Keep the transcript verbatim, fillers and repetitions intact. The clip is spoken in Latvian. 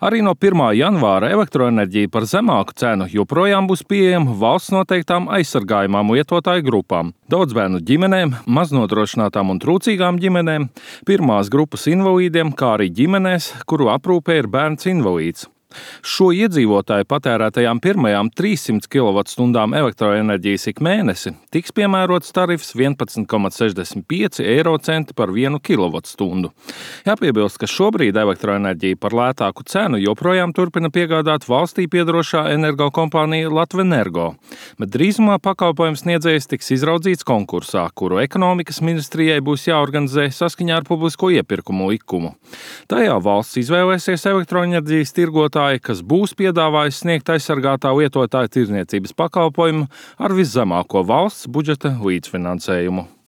Arī no pirmā janvāra elektroenerģija par zemāku cenu joprojām būs pieejama valsts noteiktām aizsargājumām lietotāju grupām - daudzbērnu ģimenēm, maznodrošinātām un trūcīgām ģimenēm, pirmās grupas invalīdiem, kā arī ģimenēs, kuru aprūpē ir bērns invalīds. Šo iedzīvotāju patērētajām pirmajām trīssimtām kilovatstundām elektroenerģijas ik mēnesi tiks piemērots tarifs vienpadsmit komats sešdesmit pieci eiro centi par vienu kilovatstundu. Jāpiebilst, ka šobrīd elektroenerģiju par lētāku cenu joprojām turpina piegādāt valstī piedarošā energokompānija Latvenergo, bet drīzumā pakalpojums sniedzējs tiks izraudzīts konkursā, kuru ekonomikas ministrijai būs jāorganizē saskaņā ar publisko iepirkumu likumu. Tajā valsts izvēlēsies elektroenerģijas tirgotāju, kas būs piedāvājis sniegt aizsargātā lietotāja tirdzniecības pakalpojumu ar viszemāko valsts budžeta līdzfinansējumu.